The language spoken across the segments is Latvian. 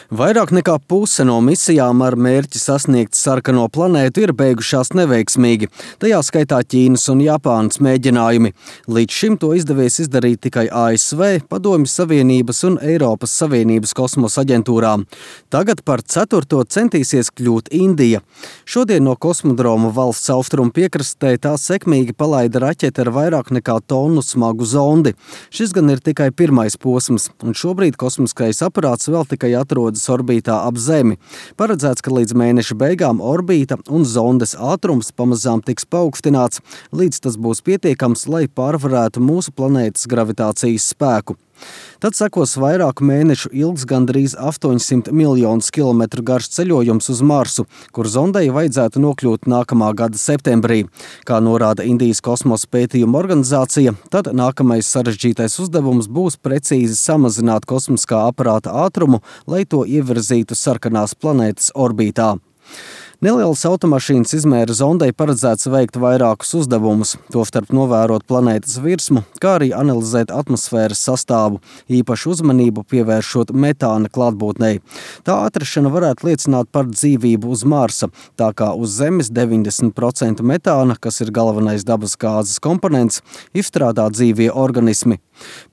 Vairāk nekā puse no misijām ar mērķi sasniegt sarkano planētu ir beigušās neveiksmīgi, tajā skaitā Ķīnas un Japānas mēģinājumi. Līdz šim to izdevies izdarīt tikai ASV, Padomju Savienības un Eiropas Savienības kosmosa aģentūrām. Tagad par ceturto centīsies kļūt Indija. Šodien no kosmodroma valsts austrumu piekrastē tā sekmīgi palaida raķeti ar vairāk nekā tonu smagu zondi. Šis gan ir tikai pirmais posms, un šobrīd kosmiskais aparāts vēl tikai atrodas orbītā ap Zemi. Paredzēts, ka līdz mēneša beigām orbīta un zondes ātrums pamazām tiks paaugstināts, līdz tas būs pietiekams, lai pārvarētu mūsu planētas gravitācijas spēku. Tad sekos vairāku mēnešu ilgs gandrīz 800 miljonus kilometru garš ceļojums uz Marsu, kur zondei vajadzētu nokļūt nākamā gada septembrī. Kā norāda Indijas kosmosa pētījuma organizācija, tad nākamais sarežģītais uzdevums būs precīzi samazināt kosmiskā aparāta ātrumu, lai to ievirzītu sarkanās planētas orbītā. Nelielas automašīnas izmēra zondei paredzēts veikt vairākus uzdevumus, tostarp novērot planētas virsmu, kā arī analizēt atmosfēras sastāvu, īpašu uzmanību pievēršot metāna klātbūtnei. Tā atrašana varētu liecināt par dzīvību uz Marsa, tā kā uz Zemes 90% metāna, kas ir galvenais dabas gāzes komponents, izstrādā dzīvie organismi.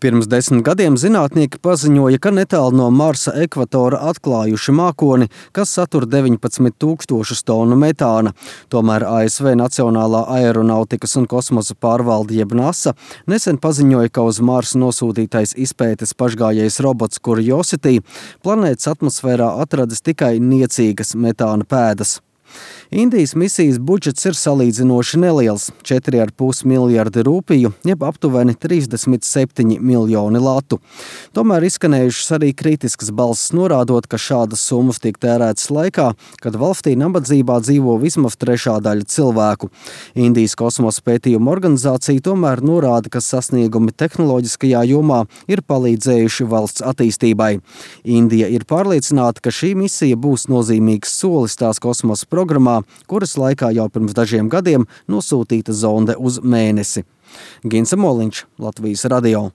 Pirms 10 gadiem zinātnieki paziņoja, ka netālu no Marsa ekvatora atklājuši mākoni, kas satur 19,000 tonu metāna. Tomēr ASV Nacionālā aeronautikas un kosmosa pārvalde jeb NASA nesen paziņoja, ka uz Marsu nosūtītais izpētes pašgājējs robots Curiosity planētas atmosfērā atradis tikai niecīgas metāna pēdas. Indijas misijas budžets ir salīdzinoši neliels – 4,5 miljardi rūpiju, jeb aptuveni 37 miljoni latu. Tomēr izskanējušas arī kritiskas balsis norādot, ka šādas summas tiek tērētas laikā, kad valstī nabadzībā dzīvo vismaz trešā daļa cilvēku. Indijas kosmosa pētījuma organizācija tomēr norāda, ka sasniegumi tehnoloģiskajā jomā ir palīdzējuši valsts attīstībai. Indija ir pārliecināta, ka šī misija būs nozīmīgs solis tās kosmosa programmā, kuras laikā jau pirms dažiem gadiem nosūtīta zonde uz Mēnesi. Gins Moliņš, Latvijas radio.